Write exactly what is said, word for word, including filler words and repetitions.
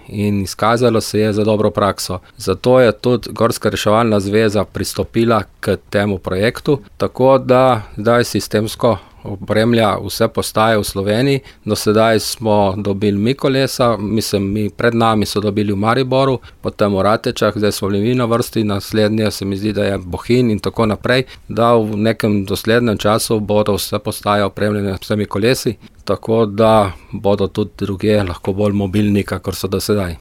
in izkazalo se je za dobro prakso. Zato je tudi Gorska reševalna zveza pristopila k temu projektu, tako da zdaj sistemsko opremlja vse postaje v Sloveniji. Do sedaj smo dobili mi kolesa, mislim, mi pred nami so dobili v Mariboru, potem v Ratečah, zdaj smo bili mi na vrsti, naslednje se mi zdi, da je Bohinj in tako naprej, da v nekem doslednem času bodo vse postaje opremljene s vsemi kolesi, tako da bodo tudi drugje lahko bolj mobilni, kakor so do sedaj.